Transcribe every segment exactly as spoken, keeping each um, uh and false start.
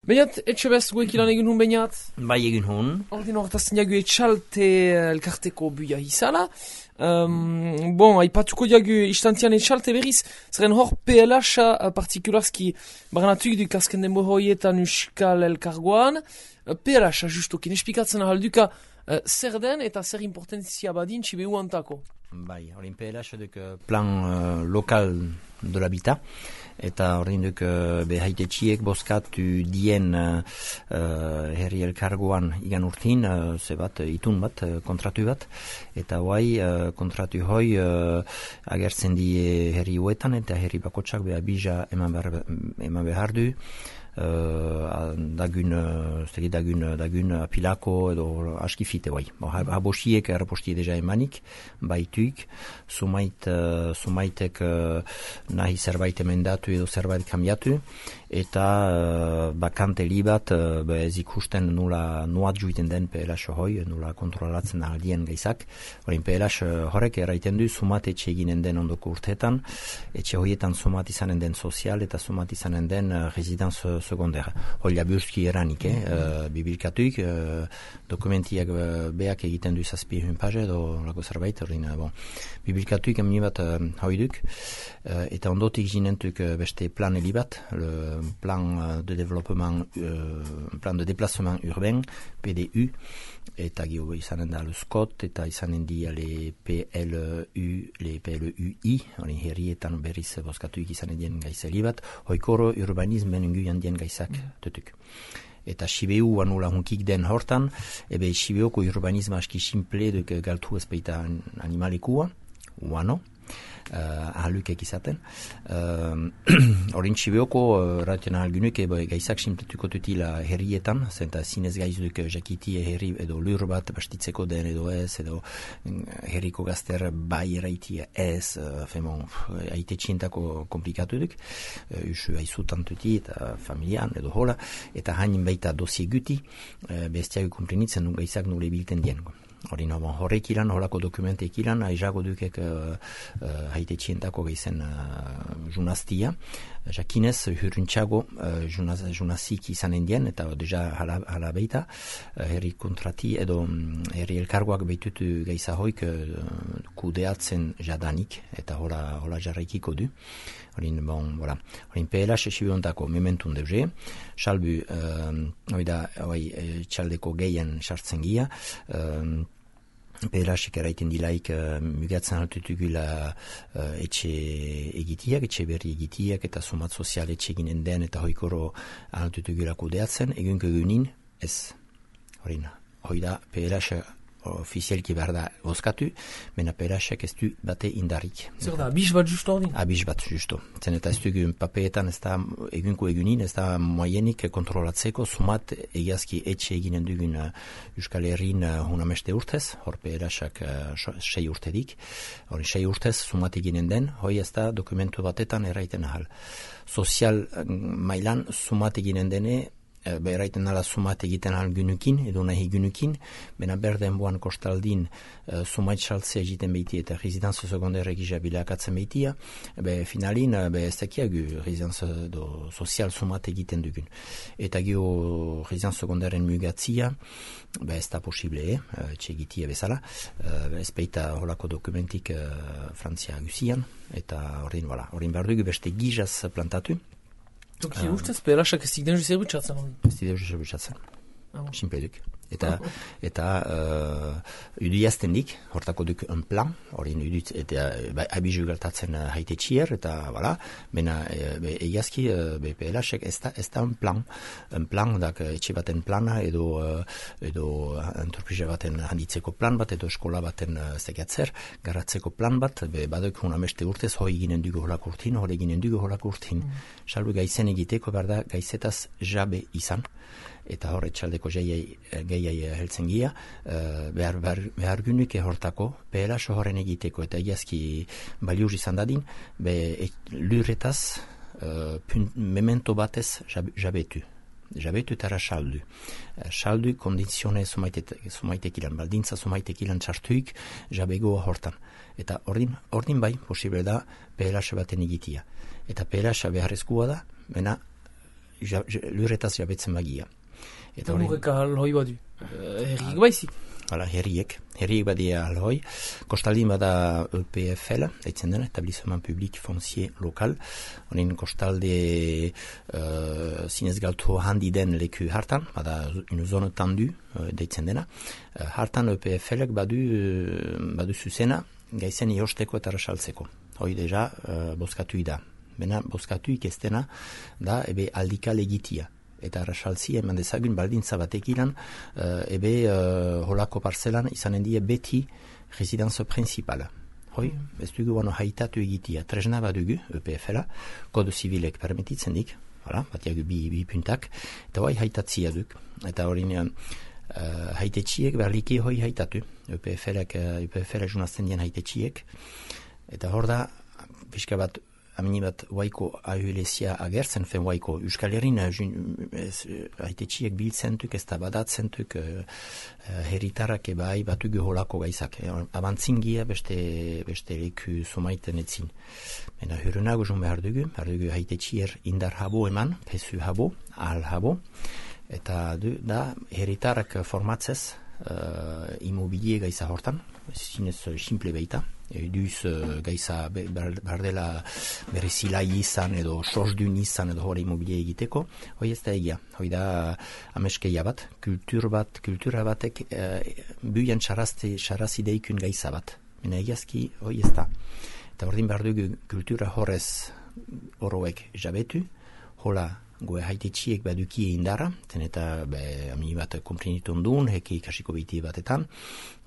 Bainat, etxe bez goek ilan egin hun bainat? Bai egin hun. Ordin horretaz diagu etxalte elkarteko buia izala. Um, bon, aipatuko diagu istantian etxalte berriz, zeren hor P L H partikularski baranatuik du kasken denbo hoietan Euskal Elkargoan. P L H justokin espikatzen ahalduka uh, zer den eta zer importantzia badin txibe uantako. Bai, horin P L H duk plan uh, lokal de l'habitat. Eta horrein duk uh, behaitetxiek boskatu dien uh, uh, herri elkargoan igan urtin, uh, ze bat, itun bat, uh, kontratu bat. Eta hoai, uh, kontratu hoi uh, agertzen die herri huetan eta herri bakotsak beha bija eman behar, eman behar du. Uh, dagun, uh, dagun, dagun apilako edo askifite bai. Habosiek errapostie deja emanik, baituik, sumait, uh, sumaitek uh, nahi zerbait emendatu edo zerbait kambiatu, eta uh, bakante libat uh, ez ikusten nula nuat juiten den P L H hoi, nula kontrolatzen aldien gaizak. Horin P L H horrek erraiten du sumat etxe eginen den ondoko urteetan, etxe hoietan sumat izanen den sozial eta sumat izanen den uh, residence secondaire. Hoila burski eranik, eh? uh, bibilkatuik, uh, dokumentiak uh, beak egiten du zazpi hun page edo lako zerbait, horrein, uh, bon. Bibilkatuik emni bat uh, hoiduk, uh, eta ondotik ginentuk uh, beste plan elibat, le plan de développement, uh, plan de déplacement urbain, P D U, eta gio izanen da le SCOT, eta izanen di le P L U, le P L U I, hori herrietan berriz boskatuik izanen dien gaiza elibat, hoikoro urbanismen inguian dien gaizak, tutuk. Eta Sibeu anula hunkik den hortan, ebe Sibeuko urbanisma aski simple duk galtu ezpeita animalekua, uano, Uh, ahalukek izaten. Horin uh, Sibeoko uh, raten ahalgunuk ebe gaizak simpletuko tutila herrietan, zenta zinez gaizuk jakiti herri edo lur bat bastitzeko den edo ez, edo um, herriko gazter bai eraitia ez, uh, femon, haite txintako komplikatu duk, uh, usu haizutan tuti eta familian edo hola, eta hain baita dosie guti, uh, bestiago komprenitzen nun gaizak nule bilten diengo. Horin horrek ilan, horako dokumentek ilan, aizago dukek uh, uh, haite txientako gaizen uh, junaztia. Jakinez, hurruntxago uh, junaz, junazik izanen dien, eta deja hala, hala beita, uh, herri kontrati edo um, herri elkargoak behitutu gaiza hoik uh, kudeatzen jadanik, eta hola, hola jarraikiko du. Horin, bon, voilà. Horin P L H esibiontako mementun deuze, salbu, uh, oida, oi, txaldeko gehien sartzen gia, uh, P L H-ek eraiten dilaik uh, mugatzen altutugula uh, etxe egitiak, etxe berri egitiak, eta sumat sozial etxe eginen den, eta hoikoro altutugula kudeatzen, egunko egunin, ez, horin, hoi da P L H ofizialki behar da oskatu, mena P L H-ek ez du bate indarrik. Zer da, abis bat justo ordin? Abis bat justo. Zen eta ez dugu papeetan ez da egunko egunin, ez da moienik kontrolatzeko sumat egiazki etxe eginen dugun uh, Euskal Herrin uh, hunameste urtez, hor P L H-ak uh, sei urtedik, hori sei urtez sumat eginen den, hoi ez da dokumentu batetan erraiten ahal. Sozial uh, mailan sumat eginen dene, beheraiten ala sumat egiten ahal gynukin, edo nahi gynukin, bena berden boan kostaldin uh, sumait saltzea egiten behiti eta residenzo secondaire egisa bilakatzen behitia, be finalin, be ez dakiagu residenzo do sozial sumat egiten dugun. Eta gio residenzo secondairen mugatzia, be ez da posible, eh, txegitia bezala, uh, ez beita holako dokumentik uh, Frantzia guzian, eta horrein, voilà, horrein behar dugu beste gizaz plantatu. Toki ustez, P L H-ak ez dik den juzer butxatzen. Ez dik den juzer butxatzen. Sinpeduk. Eta, eta uh, udiazten dik, hortako duk un plan, hori udit, eta ba, abizu galtatzen uh, haite txier, eta, bala, bena, e, egiazki, uh, P L H-ek ez da, ez da un plan. Un plan, dak, etxe baten plana, edo, uh, edo entreprise baten handitzeko plan bat, edo eskola baten uh, zegatzer, garatzeko plan bat, be, badok hunameste urtez, hoi ginen dugu holako urtin, hori ginen dugu holako urtin. Mm. Salbu gaizen egiteko, berda, gaizetaz jabe izan, eta horre txaldeko gehiai heltzen gia, uh, behar, behar, behar gynuke hortako, P L H horren egiteko, eta egiazki baliuz izan dadin, be et, lurretaz, uh, punt, memento batez jab, jabetu. Jabetu eta saldu. Uh, saldu kondizione sumaitek ilan, baldintza sumaitek ilan txartuik, jabegoa hortan. Eta ordin, ordin bai, posible da, P L H baten egitia. Eta P L H beharrezkoa da, mena, ja, lurretaz jabetzen bagia. Eta lurreka alhoi badu, herriek baizik. Hala, herriek, herriek badia alhoi. Kostaldin bada E P F L, deitzen dena, Etablissement Public Foncier Lokal. Honin kostalde uh, zinez galtu handi den leku hartan, bada une zone tendu, uh, deitzen dena. Uh, hartan E P F L-ek badu, uh, badu zuzena, gaizen iosteko eta rasaltzeko. Hoi deja, uh, boskatu da. Bena, boskatu ikestena da, ebe aldikal egitia. Eta rasaltzi eman dezagun baldintza batek ilan, uh, ebe uh, holako parzelan izanen die beti residenzo principala. Hoi, mm. ez dugu bano haitatu egitia. Tresna badugu, E P F L-a, kodo zibilek permititzen dik, hala, batiagu bi, bi puntak, eta hoi haitatzia duk. Eta hori uh, haitetxiek berliki hoi haitatu. E P F L-ek, E P F L-a junazten dien haitetxiek. Eta hor da, pixka bat, amini bat waiko ahulezia agertzen, fen waiko Euskal Herrin haitetxiek biltzentuk, ez da badatzentuk uh, herritarrak ebai batugu holako gaizak. Abantzingia beste, beste leku somaiten etzin. Mena hurrenago zun behar dugu, behar dugu haitetxier indar habo eman, pesu habo, ahal habo, eta du, da herritarrak formatzez uh, immobilie gaiza hortan, zinez simple beita. Eduz uh, gaiza bardela berrizilai izan edo sosdun izan edo hori immobilie egiteko, hoi ez da egia, hoi da ameskeia bat, kultur bat, kultura batek uh, buian xarazi deikun gaiza bat, mena egiazki hoi ez da. Eta ordin behar dugu kultura horrez horoek jabetu, hola goe haitetxiek baduki indara, zen eta be, amini bat komprenitun duen, heki kasiko biti batetan,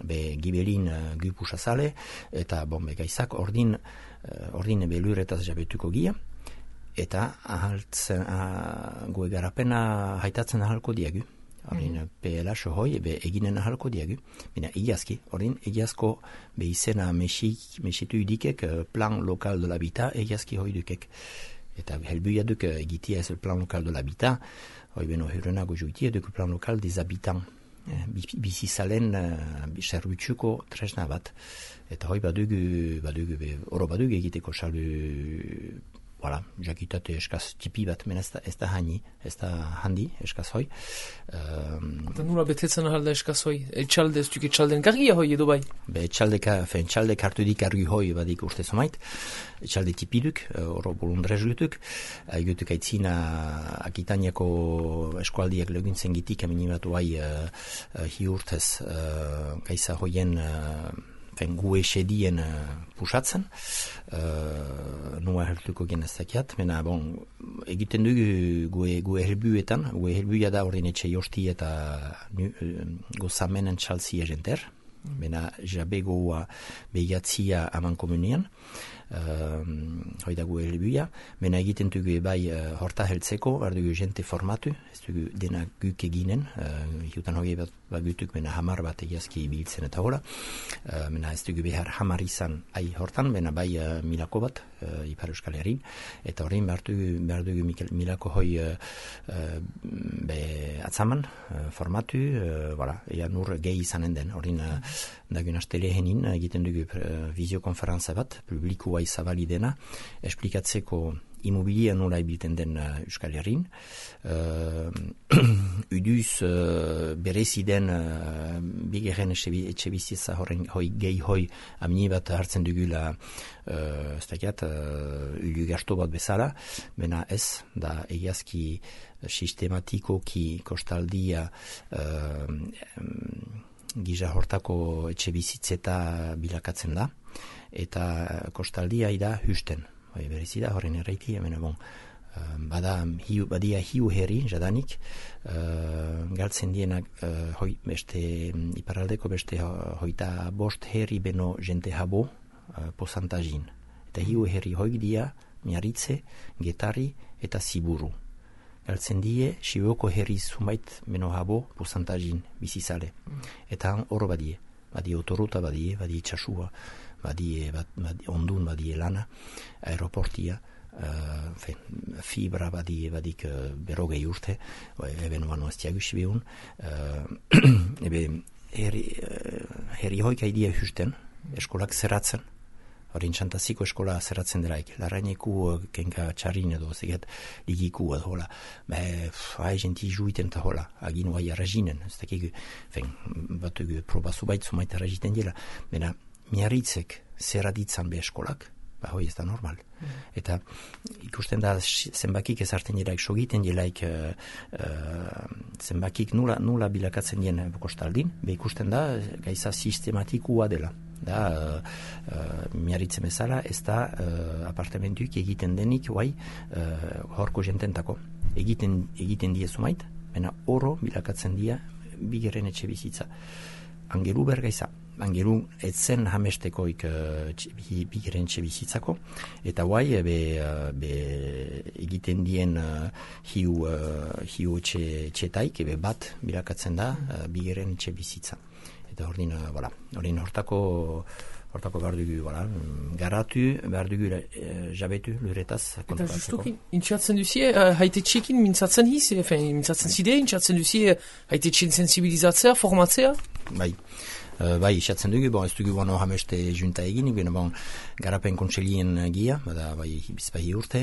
be gibelin uh, gupusa zale, eta bon, be gaizak ordin, uh, ordin be luretaz jabetuko gia, eta ahaltzen, uh, goe garapena haitatzen ahalko diagu. Ordin mm-hmm. P L H hoi ebe eginen ahalko diagu. Bina egiazki, ordin egiazko be izena mesitu idikek plan lokal de l'habitat egiazki hoi dukek. Eta helbuia duk egitia ez plan lokal de l'habitat, hoi beno hurrenago joitia duk plan lokal des habitants. Bizizalen uh, serbutsuko tresna bat. Eta hoi badugu, badugu, oro badugu egiteko salbu, voilà, jakitate eskaz tipi bat, men ez da, ez da hani, ez da handi eskaz hoi. Um, Eta nula betetzen ahalda eskaz hoi? Etxalde, ez duk etxalden kargia hoi edo bai? Be etxaldeka, fe etxaldek hartu dik argi hoi badik urte somait, etxalde tipiduk, oro bolundrez gutuk, gutuk aitzina Akitaniako eskualdiak leguntzen gitik, amini bat bai uh, uh, hi urtez uh, gaisa hoien uh, fen gu esedien uh, pusatzen, uh, nua hertuko genezakiat, mena bon, egiten dugu gue, gue helbuetan, gue helbuia da ordin etxe josti eta nu, uh, gozamenen txalzi egenter, mena jabe goa behiatzia aman komunian, uh, hoi da gue helbuia, mena egiten dugu bai uh, horta heltzeko, behar dugu jente formatu, ez dugu dena guk eginen, uh, hiutan hogei bat bagutuk, mena hamar bat egiazki biltzen eta hola, uh, mena ez dugu behar hamar izan ai hortan, mena bai uh, milako bat, uh, Ipar Euskal Herrin, eta horrein behar dugu, behar dugu milako hoi uh, uh, be atzaman, uh, formatu, uh, voilà, ea nur gehi izanen den, horrein uh, dagun astele henin, egiten dugu uh, visiokonferantza bat, publikua izabali dena, esplikatzeko immobilia nola ibilten den uh, Euskal Herrin. Uh, uduz uh, berezi den uh, bigeren etxe bizitza horren hoi gehi hoi amini bat hartzen dugula uh, ez dakiat, uh, ulu gasto bat bezala, bena ez, da egiazki sistematikoki kostaldia uh, um, giza hortako etxe bizitzeta bilakatzen da, eta kostaldia ida husten. Bai, berezi da, horren erraiti, hemen, bon, uh, bada, hiu, badia hiu herri, jadanik, uh, galtzen dienak, uh, hoi, beste, iparaldeko beste hoita bost herri beno jente habo, uh, posantazin. Eta hiu herri hoi dia, miaritze, getari eta ziburu. Galtzen die, sibuoko herri zumait beno habo, posantazin, bizizale. Eta hor badie, badie otoruta badie, badie txasua, badie, bad, bad, ondun badie lana, aeroportia, uh, fe, fibra badie, badik uh, berogei urte, eben bano ez tiagusi behun, uh, ebe herri, uh, herri hoik haidie husten, eskolak zeratzen, Horin Santaziko eskola zerratzen delaik, larraineku kenka txarrin edo zeget ligiku edo hola. Be, hai jenti juiten eta hola, agin oai arrazinen, ez dakik, fen, bat proba zubait zumait arraziten dela. Bena, miarritzek zerraditzan be eskolak, ba hoi ez da normal. Mm. Eta ikusten da zenbakik ezarten jelaik, sogiten jelaik uh, uh, zenbakik nula, nula bilakatzen dien kostaldin, be ikusten da gaiza sistematikoa dela. Da, uh, uh, miarritzen bezala, ez da uh, apartamentuik egiten denik, guai, uh, horko jententako. Egiten, egiten die zumait, baina oro bilakatzen dia bigeren etxe bizitza. Angelu bergaiza. Angelu etzen hamestekoik uh, bigeren etxe bizitzako, eta guai, be, uh, be egiten dien uh, hiu, uh, hiu etxe, etxetaik, ebe bat bilakatzen da uh, bigeren etxe bizitza. Eta ordin, uh, voilà, ordin hortako, hortako behar dugu, voilà, garatu, behar dugu uh, jabetu luretaz. Eta justuki, intxatzen duzie, uh, haite txekin mintzatzen hiz, efen, mintzatzen zide, intxatzen duzie, haite txen sensibilizatzea, formatzea? Bai. Uh, bai, isatzen dugu, bon, ez dugu bano hameste junta egin, bine, bon, garapen kontselien gia, bada, bai, bizpahi urte,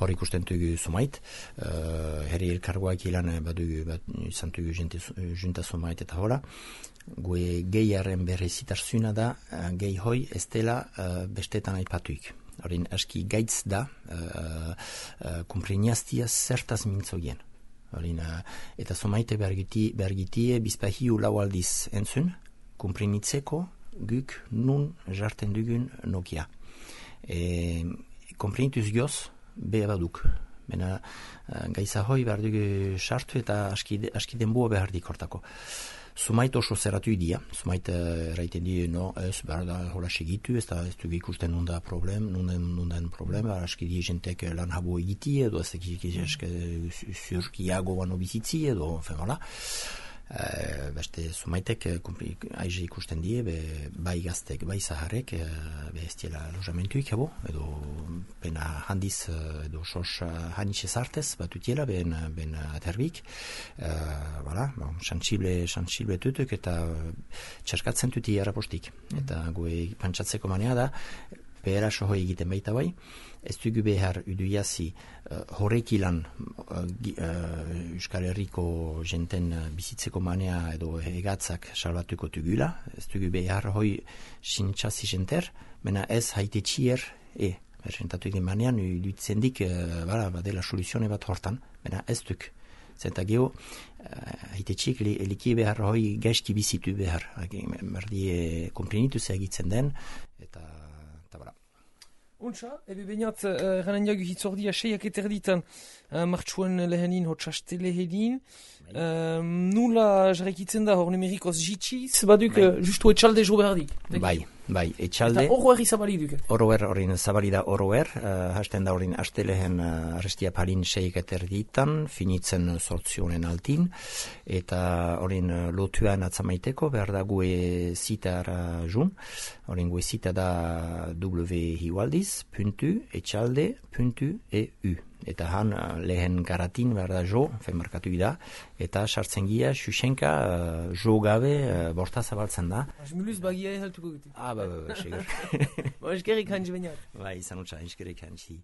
hor ikusten dugu sumait, uh, herri elkargoak ilan, badugu, bat, izan dugu junta sumait eta hola, gue gehiaren berrezitarzuna da, uh, gehi hoi ez dela uh, bestetan aipatuik. Horin, aski gaitz da, uh, uh, kumpreniaztia zertaz mintzogien. Horin, uh, eta sumaite bergitie bizpahiu lau aldiz entzun, komprenitzeko guk nun jarten dugun Nokia. E, komprenituz gioz, beha baduk. Bena, gaiza hoi behar dugu sartu eta aski, aski denboa behar dikortako. Sumait oso zerratu idia, sumait erraiten di, no, ez behar da hola segitu, ez da ez dugu ikusten nunda problem, nunden, nunden problem, aski di jentek lan habo egiti, edo ez eski zurkiago bano bizitzi, edo, fen, hola. Uh, beste sumaitek aize ikusten die, be, bai gaztek, bai zaharek, uh, be ez diela lojamentuik, ebo, edo bena handiz, edo sos hanitxe zartez, bat utiela, ben, ben aterbik, uh, voilà, bon, xantsible, xantsible tutuk, eta txarkatzen tuti erapostik. Mm. Eta goe pantsatzeko manea da, behera soho egiten baita bai, ez dugu behar uduiazi uh, horrekilan uh, uh, Euskal Herriko jenten uh, bizitzeko manea edo egatzak salbatuko tugula, ez dugu behar hoi sintxazi jenter, mena ez haite txier e, bersentatu egin manean, duitzen dik, uh, bala, badela soluzione bat hortan, mena ez duk. Zenta geho, uh, haite txiek eliki behar hoi gaizki bizitu behar, merdi komprenitu egitzen den, eta Untsa, ebe bainat, eranen jagu hitzordia seiak eterditan uh, martxuen lehenin, hotxaste lehenin. Uh, nula jarrekitzen da hor numerikoz jitxiz, baduk uh, justu etxalde jo berdi. Bai, bai, etxalde. Eta oro erri zabali duke. Oro er, horin zabali da oro er, uh, hasten da horin aste lehen uh, arrestia palin seiak eterditan, finitzen sortzionen altin, eta horin uh, lotuan atzamaiteko, behar da gue zitara jun, horin gue zita da w hiualdiz, puntu, etxalde, puntu, eu. Eta han lehen garatin behar da jo, fen markatu da, eta sartzen gira, xuxenka, uh, jo gabe, uh, borta zabaltzen da. Azmuluz bagia ehaltuko gute. Ah, ba, ba, ba, segur. Ba, eskerrik hansi bainat. Bai, izan utza, eskerrik hansi.